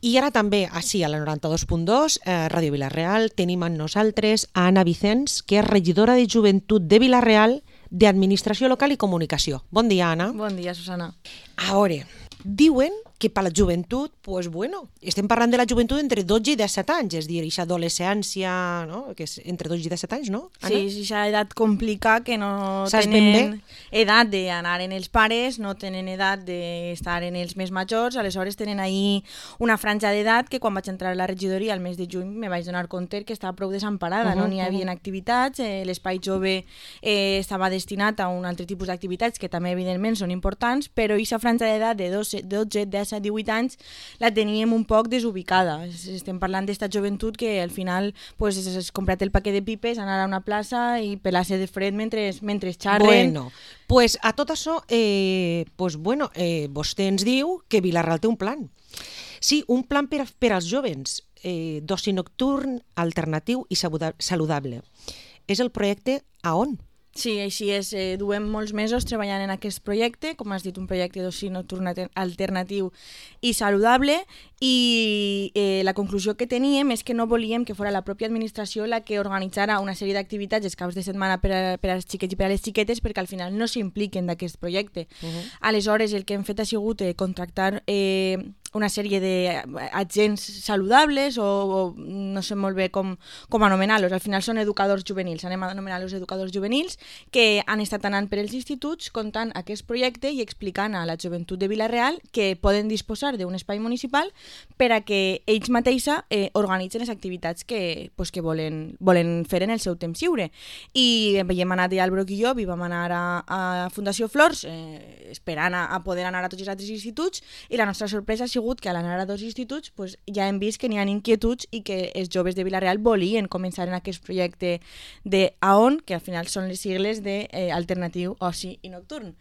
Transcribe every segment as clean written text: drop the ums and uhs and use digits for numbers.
I ara també, així, a la 92.2, Ràdio Vila-real, tenim amb nosaltres a Anna Vicens, que és regidora de Joventut de Vila-real d'Administració Local i Comunicació. Bon dia, Anna. Bon dia, Susana. A veure, diuen que per la joventut, pues bueno, estem parlant de la joventut entre 12 i 17 anys, és a dir, aquesta adolescència, no? Que és entre 12 i 17 anys, no, Anna? Sí, aquesta edat complicada que no Saps ben tenen bé? edat d'anar en els pares, no tenen edat d'estar en els més majors, aleshores tenen ahí una franja d'edat que quan vaig entrar a la regidoria el mes de juny me vaig donar compte que estava prou desemparada, no n'hi havia activitats, l'espai jove estava destinat a un altre tipus d'activitats que també evidentment són importants, però aquesta franja d'edat de 12, 10, 18 anys la teníem un poc desubicada. Estem parlant d'esta joventut que al final pues, has comprat el paquet de pipes, anar a una plaça i pelar-se de fred mentre xarren. Bueno, pues a tot això, vostè ens diu que Vila-real té un plan. Sí, un plan per als jovens, d'oci nocturn, alternatiu i saludable. És el projecte AON. Sí, així és. Duem molts mesos treballant en aquest projecte, com has dit, un projecte d'oci nocturn alternatiu i saludable, i la conclusió que teníem és que no volíem que fos la pròpia administració la que organitzara una sèrie d'activitats els caps de setmana per als xiquets i per a les xiquetes, perquè al final no s'impliquen d'aquest projecte. Aleshores, el que hem fet ha sigut contractar una sèrie d'agents saludables o no sé molt bé com anomenar-los. Al final són educadors juvenils, anem a anomenar-los educadors juvenils, que han estat anant per els instituts contant aquest projecte i explicant a la joventut de Vila-real que poden disposar d'un espai municipal per a que ells mateixa organitzen les activitats que volen fer en el seu temps lliure. I hem anat ja al Broc i jo, i vam anar a Fundació Flors esperant a poder anar a tots els altres instituts, i la nostra sorpresa ha sigut que a l'anar a dos instituts ja hem vist que n'hi ha inquietuds i que els joves de Vila-real volien començar en aquest projecte d'AON, que al final són les sigles d'Alternatiu Oci i Nocturn.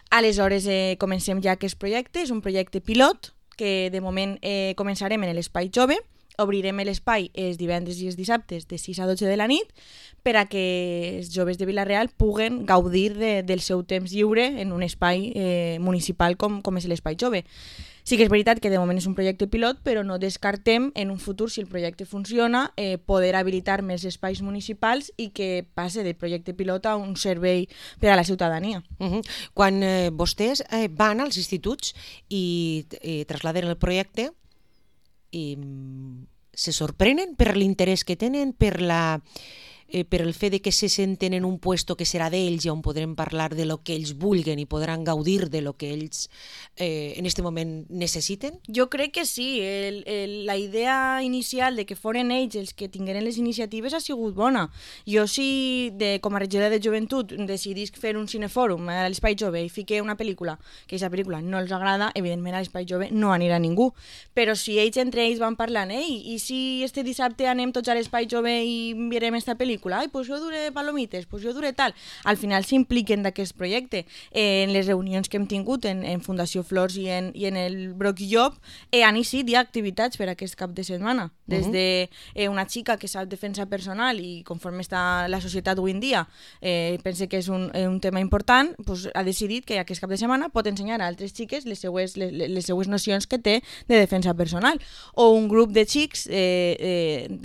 Aleshores comencem ja aquest projecte, és un projecte pilot que de moment començarem en l'espai jove, obrirem l'espai els divendres i els dissabtes de 6 a 12 de la nit per a que els joves de Vila-real puguen gaudir del seu temps lliure en un espai municipal com és l'espai jove. Sí que és veritat que de moment és un projecte pilot, però no descartem en un futur, si el projecte funciona, poder habilitar més espais municipals i que passe de projecte pilot a un servei per a la ciutadania. Quan vostès van als instituts i trasladen el projecte, se sorprenen per l'interès que tenen, per el fet de que se senten en un puesto que serà d'ells i on podrem parlar de lo que ells vulguen i podran gaudir de lo que ells en aquest moment necessiten? Jo crec que sí. La idea inicial de que foren ells els que tingueren les iniciatives ha sigut bona. Jo com a regidora de joventut decidisc fer un cinefòrum a l'espai jove i fiqué una pel·lícula, que aquesta pel·lícula no els agrada, evidentment a l'espai jove no anirà ningú. Però si ells entre ells van parlant, i si este dissabte anem tots a l'espai jove i mirem esta pel·lícula, pues jo duré palomites, pues jo duré tal. Al final s'impliquen d'aquest projecte. En les reunions que hem tingut en Fundació Flors i en el Broc i Llop han eixit ja activitats per aquest cap de setmana. Des de una xica que sap defensa personal i conforme està la societat avui en dia pensa que és un tema important, pues ha decidit que aquest cap de setmana pot ensenyar a altres xiques les seues nocions que té de defensa personal. O un grup de xics de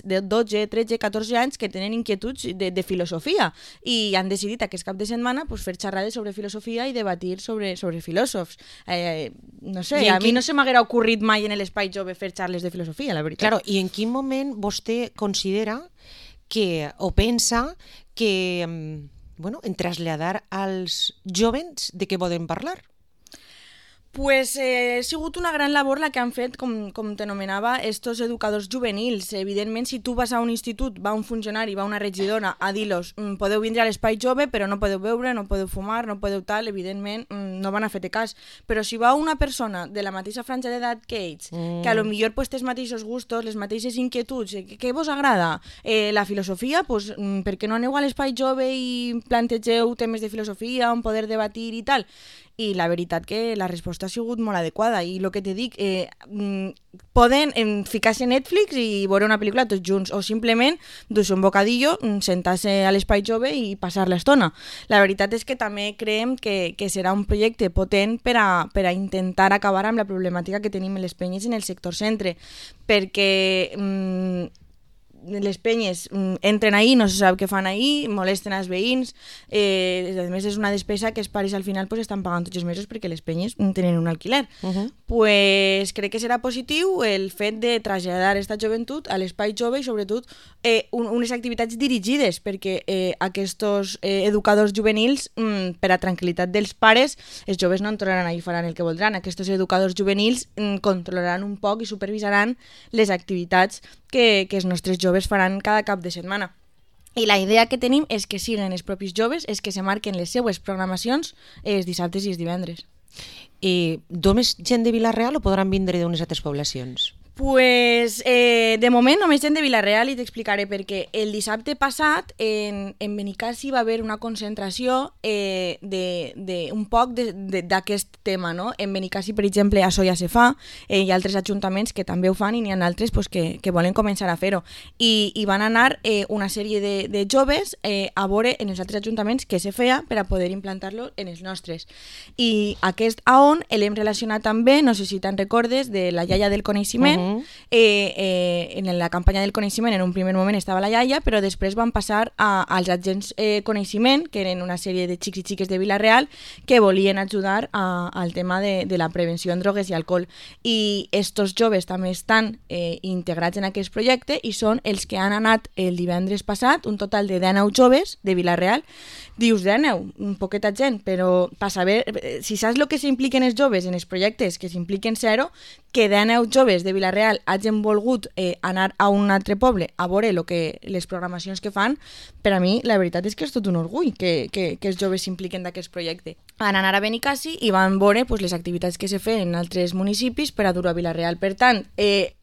12, 13, 14 anys que tenen inquietuds de filosofia i han decidit aquest cap de setmana fer xerrades sobre filosofia i debatir sobre filòsofs. No sé, a mi no se m'haguera ocorrit mai en l'espai jove fer xarles de filosofia, la veritat. Claro, i en quin moment vostè considera o pensa que en traslladar als jovens de què poden parlar? Pues ha sigut una gran labor la que han fet, com t'anomenava, estos educadors juvenils. Evidentment, si tu vas a un institut, va un funcionari, va una regidora a dir-los podeu vindre a l'espai jove, però no podeu beure, no podeu fumar, no podeu tal, evidentment no van a fer-te cas. Però si va una persona de la mateixa franja d'edat que ells, que a lo millor té els mateixos gustos, les mateixes inquietuds, què vos agrada? La filosofia, pues, per què no aneu a l'espai jove i plantegeu temes de filosofia, on poder debatir i tal? i la veritat que la resposta ha sigut molt adequada i el que te dic, poden ficar-se a Netflix i veure una pel·lícula tots junts o simplement dur-se un bocadillo, sentar-se a l'espai jove i passar l'estona. La veritat és que també creiem que serà un projecte potent per a intentar acabar amb la problemàtica que tenim en les penyes en el sector centre, perquè les penyes entren ahí, no se sap què fan ahí, molesten als veïns, a més és una despesa que els pares al final pues, estan pagant tots els mesos perquè les penyes tenen un alquiler. Pues, crec que serà positiu el fet de traslladar aquesta joventut a l'espai jove i sobretot unes activitats dirigides perquè aquests educadors juvenils, per a tranquil·litat dels pares, els joves no entraran ahí i faran el que voldran. Aquests educadors juvenils controlaran un poc i supervisaran les activitats que els nostres joves faran cada cap de setmana. I la idea que tenim és que siguin els propis joves els que se marquen les seues programacions els dissabtes i els divendres. I només gent de Vila-real o podran vindre d'unes altres poblacions? Pues, de moment només gent de Vila-real i t'explicaré perquè el dissabte passat en Benicassi va haver una concentració un poc d'aquest tema, no? En Benicassi, per exemple, això ja se fa, hi ha altres ajuntaments que també ho fan i n'hi ha altres pues, que volen començar a fer-ho. I van anar una sèrie de joves a veure en els altres ajuntaments què se feia per a poder implantar-lo en els nostres. I aquest AON l'hem relacionat també, no sé si te'n recordes, de la iaia del coneixement. En la campanya del coneixement en un primer moment estava la iaia, però després van passar als agents coneixement, que eren una sèrie de xics i xiques de Vila-real que volien ajudar al tema de la prevenció en drogues i alcohol. I estos joves també estan integrats en aquest projecte i són els que han anat el divendres passat, un total de 19 joves de Vila-real. Dius 19, un poqueta gent, però per saber, si saps el que s'impliquen els joves en els projectes, que s'impliquen zero, que 19 joves de Vila-real hagin volgut anar a un altre poble a veure les programacions que fan, per a mi la veritat és que és tot un orgull que els joves s'impliquen d'aquest projecte. Van anar a Benicassi i van veure pues, les activitats que se feien en altres municipis per a dur a Vila-real. Per tant,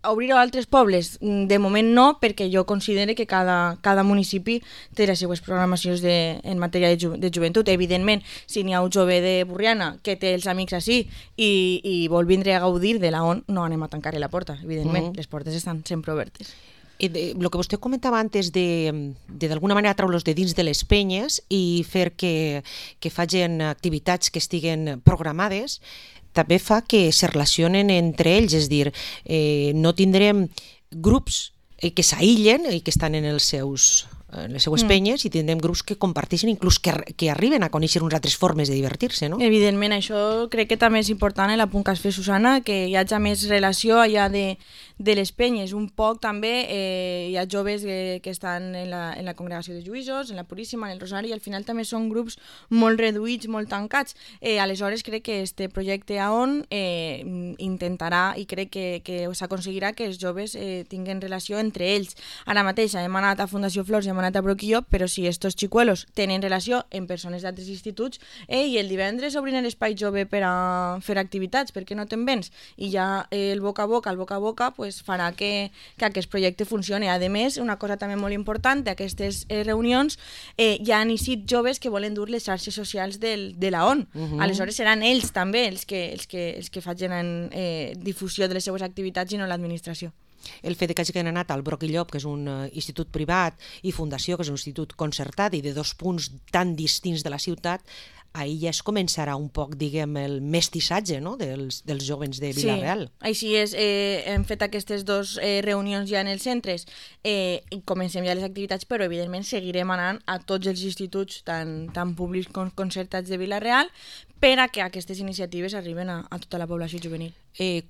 obrir-ho a altres pobles, de moment no, perquè jo considero que cada municipi té les seues programacions en matèria de joventut. Evidentment, si n'hi ha un jove de Borriana que té els amics així i vol vindre a gaudir de la ON, no anem a tancar la porta, evidentment, les portes estan sempre obertes. El que vostè comentava antes de d'alguna manera treure-los de dins de les penyes i fer que facin activitats que estiguen programades, també fa que se relacionen entre ells, és a dir, no tindrem grups que s'aïllen i que estan en les seues penyes i tindrem grups que comparteixen, inclús que arriben a conèixer unes altres formes de divertir-se, no? Evidentment, això crec que també és important, el punt que has fet, Susana, que hi hagi més relació allà de les penyes. Un poc també hi ha joves que estan en la congregació de Lluïsos, en la Puríssima, en el Rosari, i al final també són grups molt reduïts, molt tancats. Aleshores crec que este projecte AON intentarà i crec que s'aconseguirà que els joves tinguin relació entre ells. Ara mateix hem anat a Fundació Flors i hem anat a Broquillo, però si estos xicuelos tenen relació amb persones d'altres instituts i el divendres obrin l'espai jove per a fer activitats, perquè no te'n vens? I ja el boca a boca pues, farà que aquest projecte funcioni. A més, una cosa també molt important d'aquestes reunions, hi ha inicis joves que volen dur les xarxes socials de la ON. Aleshores seran ells també els que facin difusió de les seues activitats i no l'administració. El fet que hagin anat al Broquillop, que és un institut privat, i Fundació, que és un institut concertat i de dos punts tan distints de la ciutat, ahir ja es començarà un poc, diguem, el mestissatge, no?, dels jóvens de Vila-real. Sí, així és. Hem fet aquestes dues reunions ja en els centres i comencem ja les activitats, però evidentment seguirem anant a tots els instituts, tant públics com concertats de Vila-real, per a que aquestes iniciatives arriben a tota la població juvenil.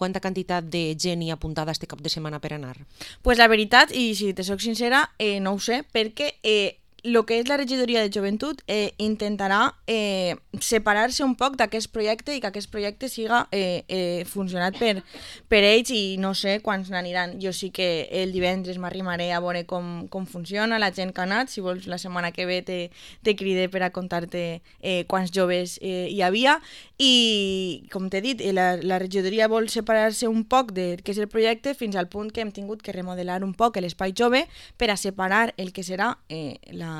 Quanta quantitat de gent hi ha apuntada este cap de setmana per anar? Pues la veritat, i si te soc sincera, no ho sé, perquè el que és la regidoria de joventut intentarà separar-se un poc d'aquest projecte i que aquest projecte siga funcionat per ells i no sé quants n'aniran. Jo sí que el divendres m'arrimaré a veure com funciona, la gent que ha anat, si vols la setmana que ve te cride per a contar-te quants joves hi havia i com t'he dit, la regidoria vol separar-se un poc del que és el projecte fins al punt que hem tingut que remodelar un poc l'espai jove per a separar el que serà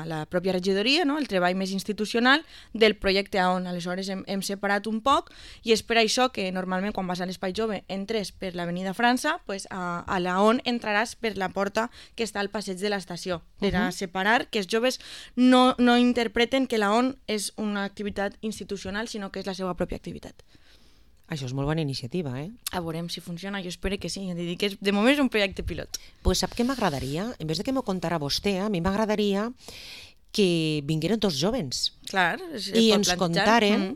la pròpia regidoria, no? El treball més institucional del projecte AON. Aleshores hem separat un poc i és per això que normalment quan vas a l'Espai Jove entres per l'Avenida França, pues a la ON entraràs per la porta que està al passeig de l'estació, per a separar que els joves no interpreten que la ON és una activitat institucional, sinó que és la seva pròpia activitat. Això és molt bona iniciativa, eh? A veurem si funciona, jo espero que sí. Que de moment és un projecte pilot. Pues sap què m'agradaria? En vez de que m'ho contara vostè, a mi m'agradaria que vingueren dos jovens. Clar, i ens contaren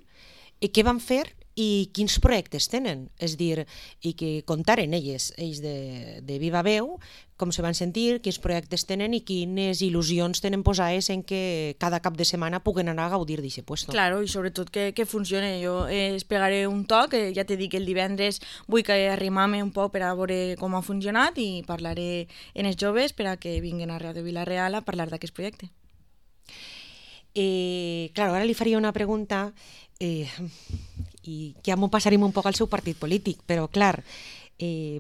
què van fer i quins projectes tenen. És dir, i que contaren ells de viva veu com se van sentir, quins projectes tenen i quines il·lusions tenen posades en que cada cap de setmana puguen anar a gaudir d'aquest puesto. Claro, i sobretot que funcione. Jo es pegaré un toc, ja t'he dit que el divendres vull que arrimar-me un poc per a veure com ha funcionat i parlaré en els joves per a que vinguin a Ràdio Vila-real a parlar d'aquest projecte. Claro, ara li faria una pregunta i ja m'ho passarem un poc al seu partit polític, però clar,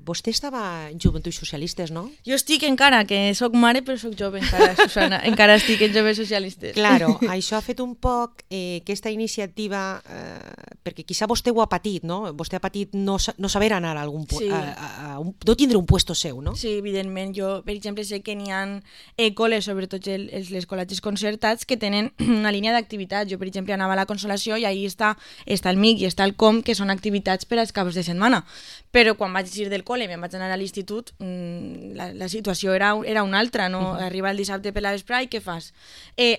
vostè estava en Joventuts Socialistes, no? Jo estic encara, que soc mare, però soc jove encara, Susana. Encara estic en Joves Socialistes. Claro, això ha fet un poc aquesta iniciativa, perquè quizá vostè ho ha patit, no? Vostè ha patit no saber anar a algun Sí. no tindre un puesto seu, no? Sí, evidentment. Jo, per exemple, sé que n'hi ha col·les, sobretot les col·legis concertats, que tenen una línia d'activitats. Jo, per exemple, anava a la Consolació i ahí està el MIC i està el COM, que són activitats per als caps de setmana. Però quan vaig ir del col·le i me'n vaig anar a l'institut, la situació era una altra, no? Arriba el dissabte per la vesprà i què fas?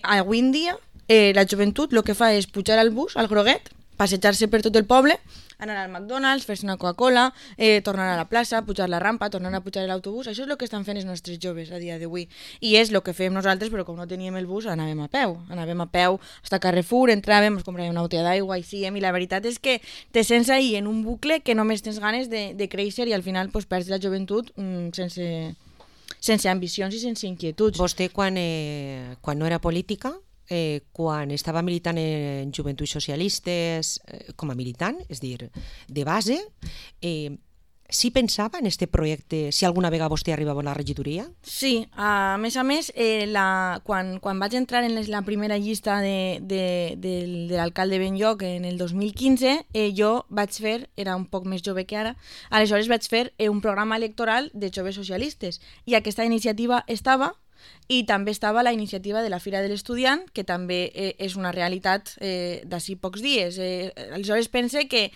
Avui en dia, la joventut el que fa és pujar al bus, al groguet, passejar-se per tot el poble, anar al McDonald's, fer-se una Coca-Cola, tornar a la plaça, pujar la rampa, tornar a pujar l'autobús. Això és el que estan fent els nostres joves a dia d'avui. I és el que fem nosaltres, però com no teníem el bus, anàvem a peu. Anàvem a peu fins a Carrefour, entràvem, ens compràvem una botella d'aigua i síguem, i la veritat és que te sents ahí en un bucle que només tens ganes de créixer i al final pues, perds la joventut sense ambicions i sense inquietuds. Vostè, quan no era política, quan estava militant en Joventuts Socialistes com a militant, és dir, de base, sí pensava en aquest projecte si alguna vegada vostè arribava a la regidoria? Sí, a més, quan vaig entrar en la primera llista de l'alcalde Benlloc en el 2015, jo vaig fer, era un poc més jove que ara, aleshores vaig fer un programa electoral de joves socialistes i aquesta iniciativa estava. I també estava la iniciativa de la Fira de l'Estudiant, que també és una realitat d'ací pocs dies. Aleshores pense que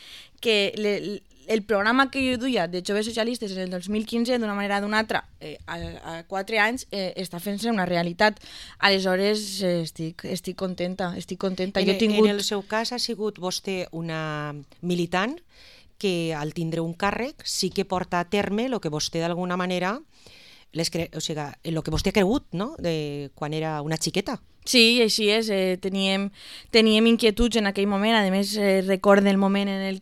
el programa que jo duia de joves socialistes en el 2015, d'una manera o d'una altra, a 4 anys, està fent-se una realitat. Aleshores estic contenta. En el seu cas ha sigut vostè una militant que al tindre un càrrec sí que porta a terme el que vostè d'alguna manera el que vostè ha cregut, no? Quan era una xiqueta. Sí, així és. Teníem inquietuds en aquell moment. A més, recordo el moment en el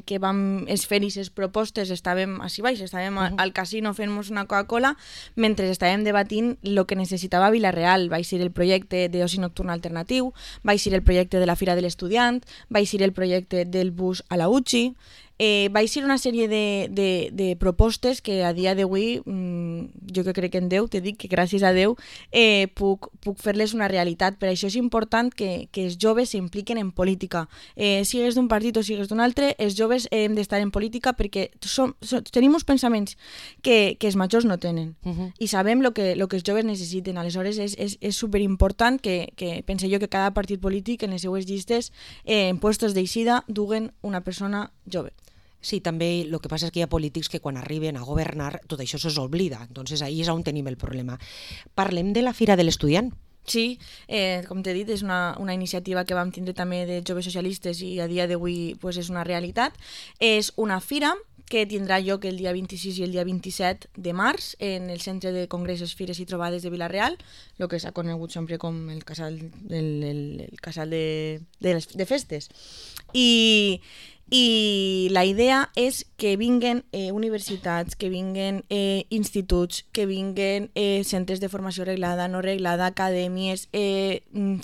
que vam fer aquestes propostes. Estàvem així baix, estàvem al casino fent-nos una Coca-Cola mentre estàvem debatint el que necessitava Vila-real. Va ser el projecte d'oci nocturn alternatiu, va ser el projecte de la Fira de l'Estudiant, va ser el projecte del bus a la UCI. Va ser una sèrie de propostes que a dia d'avui, jo que crec en Déu, t'he dit que gràcies a Déu puc fer-les una realitat. Per això és important que els joves s'impliquen en política. Sigues d'un partit o sigues d'un altre, els joves hem d'estar en política perquè tenim uns pensaments que els majors no tenen i sabem el que els joves necessiten. Aleshores és superimportant que pense jo que cada partit polític en les seues llistes en puestos d'eixida duguen una persona jove. Sí, també el que passa és que hi ha polítics que quan arriben a governar tot això se'ls oblida, entonces ahí és on tenim el problema. Parlem de la Fira de l'Estudiant. Sí, com t'he dit, és una iniciativa que vam tindre també de joves socialistes i a dia d'avui pues, és una realitat. És una fira que tindrà lloc el dia 26 i el dia 27 de març en el Centre de Congressos, Fires i Trobades de Vila-real, el que s'ha conegut sempre com el casal de festes. I la idea és que vinguen universitats, que vinguen instituts, que vinguen centres de formació reglada, no reglada, acadèmies,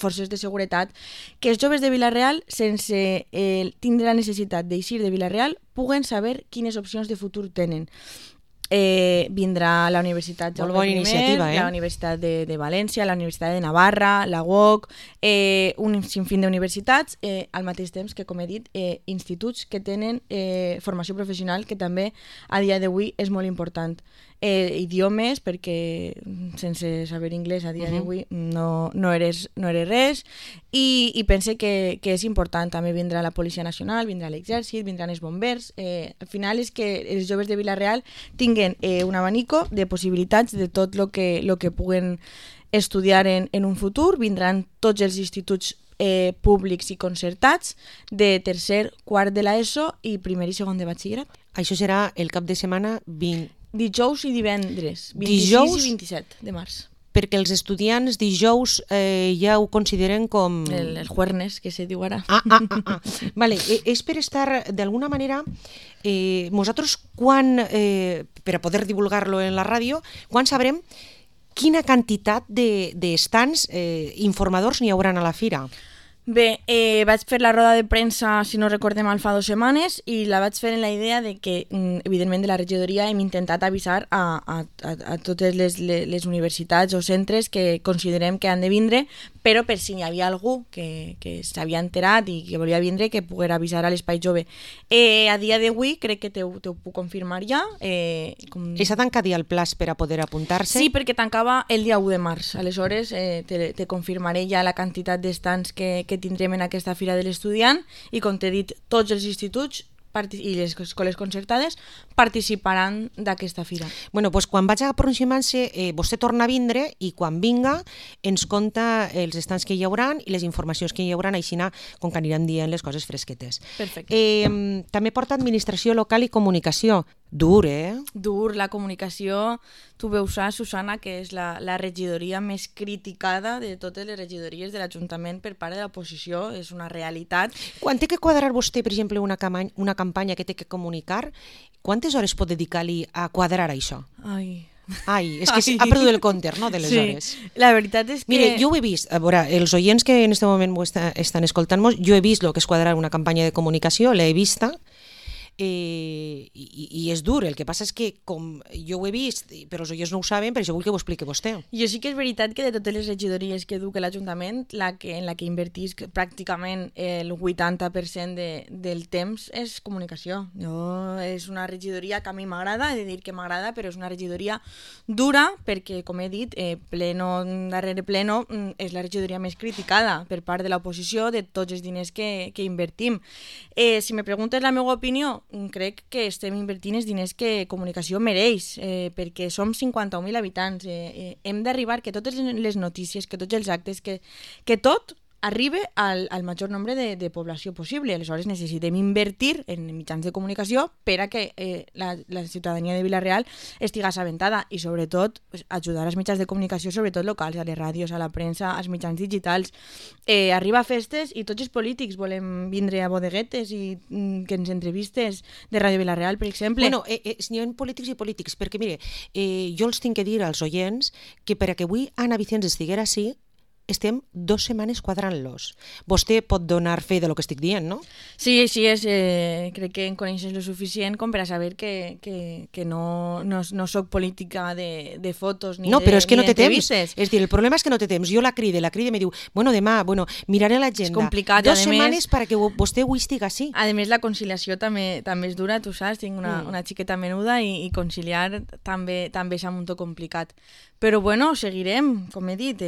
forces de seguretat, que els joves de Vila-real, sense tindre la necessitat d'eixir de Vila-real, puguen saber quines opcions de futur tenen. vindrà la Universitat Molt bona iniciativa, la Universitat de València, la Universitat de Navarra, la UOC, un sinfín d'universitats, al mateix temps que, com he dit, instituts que tenen formació professional, que també a dia d'avui és molt important. Idiomes, perquè sense saber anglès a dia d'avui no eres res, i pense que és important. També vindrà la Policia Nacional, vindrà l'exèrcit, vindran els bombers. Al final és que els joves de Vila-real tinguen un abanico de possibilitats de tot el que puguen estudiar en un futur. Vindran tots els instituts públics i concertats de tercer, quart de l'ESO i primer i segon de batxillerat. Això serà el cap de setmana dijous i divendres, 26 dijous, i 27 de març. Perquè els estudiants dijous ja ho consideren com... El jueves, que se diu ara. Vale, és per estar, d'alguna manera, nosaltres quan, per a poder divulgar-lo en la ràdio, quan sabrem quina quantitat d'estants informadors n'hi hauran a la fira? Bé, vaig fer la roda de premsa, si no recordem mal, fa 2 setmanes, i la vaig fer en la idea de que, evidentment, de la regidoria hem intentat avisar a totes les universitats o centres que considerem que han de vindre, però per si hi havia algú que s'havia enterat i que volia vindre, que poguera avisar a l'Espai Jove. A dia d'avui crec que t'ho puc confirmar ja. S'ha tancat ja el plaç per a poder apuntar-se? Sí, perquè tancava el dia 1 de març. Aleshores, te confirmaré ja la quantitat d'estants que tindrem en aquesta Fira de l'Estudiant, i com t'he dit, tots els instituts i les escoles concertades participaran d'aquesta fira. Bueno, doncs quan vaig aproximant-se, vostè torna a vindre i quan vinga ens conta els estants que hi hauran i les informacions que hi hauran, així com que aniran dient les coses fresquetes. Perfecte. També porta administració local i comunicació. Dur, Dur, la comunicació. Tu veus, Susana, que és la regidoria més criticada de totes les regidories de l'Ajuntament per part de l'oposició. És una realitat. Quan té que quadrar vostè, per exemple, una campanya que té que comunicar, quantes hores pot dedicar-li a quadrar això? Ai, és que ha perdut el compte, no, de les hores. La veritat és que... Mire, jo ho he vist, a veure, els oients que en aquest moment estan escoltant-nos, jo he vist el que és quadrar una campanya de comunicació, l'he vista, i és dur. El que passa és que, com jo ho he vist, però els oients no ho saben, per això vull que ho expliqui vostè. Jo sí que és veritat que de totes les regidories que du l'Ajuntament, en la que invertís pràcticament el 80% del temps és comunicació. És una regidoria que a mi m'agrada, he de dir que m'agrada, però és una regidoria dura perquè, com he dit, pleno darrere pleno, és la regidoria més criticada per part de l'oposició de tots els diners que invertim. Si me preguntes la meva opinió, crec que estem invertint els diners que comunicació mereix, perquè som 51.000 habitants. Hem d'arribar que totes les notícies, que tots els actes, que tot arribi al major nombre de població possible. Aleshores necessitem invertir en mitjans de comunicació per a que la ciutadania de Vila-real estigui assabentada, i sobretot ajudar als mitjans de comunicació, sobretot locals, a les ràdios, a la premsa, als mitjans digitals. Arriba a festes i tots els polítics volem vindre a bodeguetes i que ens entrevistes de Ràdio Vila-real, per exemple. Bueno, n'hi ha polítics i polítics, perquè mire, jo els tinc que dir als oients que per a que avui Anna Vicenç estiguera així, estem 2 setmanes quadrant-los. Vostè pot donar fe de lo que estic dient, no? Sí, així és. Crec que em coneixes lo suficient com per a saber que no soc política de fotos ni no, però és que no té temps. És dir, el problema és que no té temps. Jo la cride i me diu, demà, miraré l'agenda. És complicat. 2 setmanes perquè vostè ho estigui així. A més, la conciliació també és dura, tu saps, tinc una xiqueta menuda i conciliar també és un muntó complicat. Però bueno, seguirem, com he dit,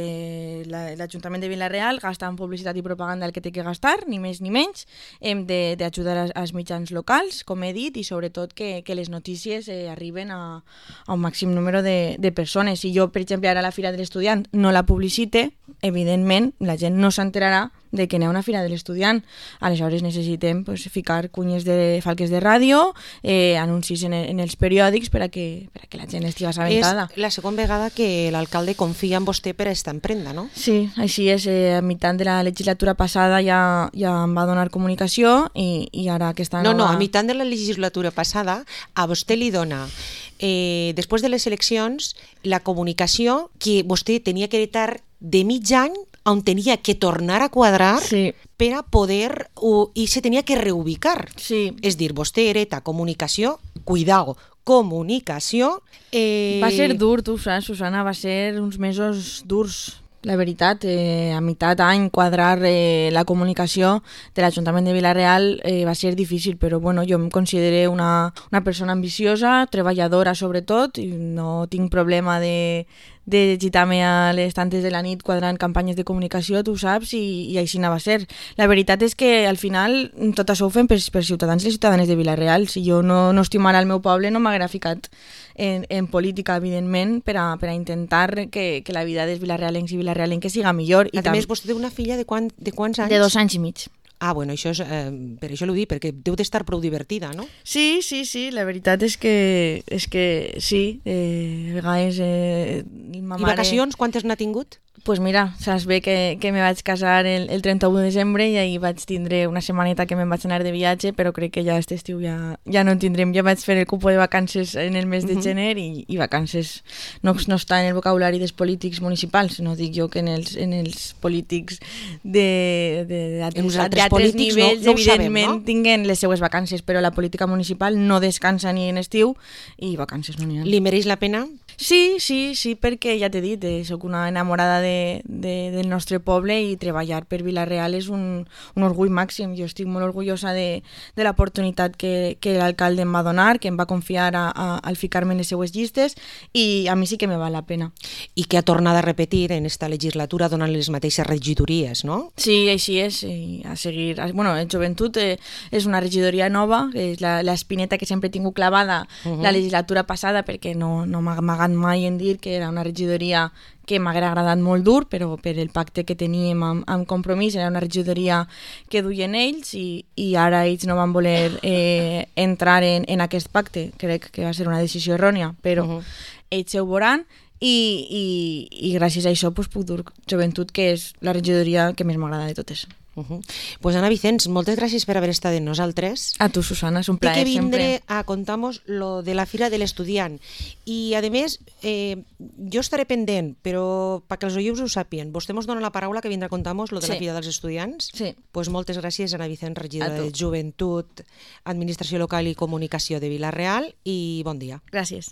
l'Ajuntament de Vila-real gasta en publicitat i propaganda el que té que gastar, ni més ni menys. Hem d'ajudar als mitjans locals, com he dit, i sobretot que les notícies arriben a un màxim número de persones. Si jo, per exemple, ara a la Fira de l'Estudiant no la publicite, evidentment la gent no s'enterarà de que n'hi ha una Fira de l'Estudiant. Aleshores necessitem ficar cunyes de falques de ràdio, anuncis en els periòdics per a que la gent estigui assabentada. És la segona vegada que l'alcalde confia en vostè per a estar en prenda, no? Sí, així és. A meitat de la legislatura passada ja em va donar comunicació i ara aquesta nova... No, a meitat de la legislatura passada a vostè li dona, després de les eleccions, la comunicació que vostè tenia que heretar de mig any on tenia que tornar a quadrar per a poder... i se tenia que reubicar. Sí. És dir, vostè hereta comunicació cuidao, comunicació. Va ser dur, tu saps, Susana, va ser uns mesos durs. La veritat, a meitat d'any quadrar la comunicació de l'Ajuntament de Vila-real va ser difícil, però bueno, jo em considero una persona ambiciosa, treballadora sobretot, i no tinc problema de gitar-me a les tantes de la nit quadrant campanyes de comunicació, tu saps, i així va ser. La veritat és que al final tot això ho fem per ciutadans i ciutadanes de Vila-real. Si jo no estimara el meu poble no m'haguera ficat en política, evidentment, per a intentar que la vida dels vilarealencs i vilarealenques siga millor. A més, vostè té una filla de quants anys? De 2 anys i mig. Ah, bueno, això és, per això l'ho dic, perquè deu d'estar prou divertida, no? Sí, la veritat és que sí, a vegades ma mare... I vacacions, quantes n'ha tingut? Pues mira, saps bé que me vaig casar el 31 de desembre i ahir vaig tindre una setmaneta que me'n vaig anar de viatge, però crec que ja aquest estiu ja no en tindrem. Ja vaig fer el cupo de vacances en el mes de gener i vacances no està en el vocabulari dels polítics municipals, no dic jo que en els polítics d'altres nivells, evidentment, tinguen les seues vacances, però la política municipal no descansa ni en estiu i vacances no n'hi ha. Li mereix la pena? Sí, perquè ja t'he dit, soc una enamorada del nostre poble i treballar per Vila-real és un orgull màxim. Jo estic molt orgullosa de l'oportunitat que l'alcalde em va donar, que em va confiar al ficar-me en les seues llistes, i a mi sí que me val la pena. I que ha tornat a repetir en esta legislatura donant les mateixes regidories, no? Sí, així és. A seguir... Bueno, el Joventut és una regidoria nova, és l'espineta que sempre he tingut clavada la legislatura passada, perquè no m'ha amagat mai en dir que era una regidoria que m'haguera agradat molt dur, però per el pacte que teníem amb Compromís era una regidoria que duien ells i ara ells no van voler entrar en aquest pacte. Crec que va ser una decisió errònia, però ells ho veuran i gràcies a això puc dur Joventut, que és la regidoria que més m'agrada de totes. Pues Ana Vicens, moltes gràcies per haver estat amb nosaltres. A tu, Susana, és un plaer sempre. Té que vindre sempre a contar-nos lo de la Fira de l'Estudiant. I, a més, jo estaré pendent, però perquè els oients ho sàpien, vostè ens dona la paraula que vindrà a contar-nos lo de la Fira dels Estudiants? Sí. Pues moltes gràcies, Ana Vicens, regidora de Joventut, Administració Local i Comunicació de Vila-real, i bon dia. Gràcies.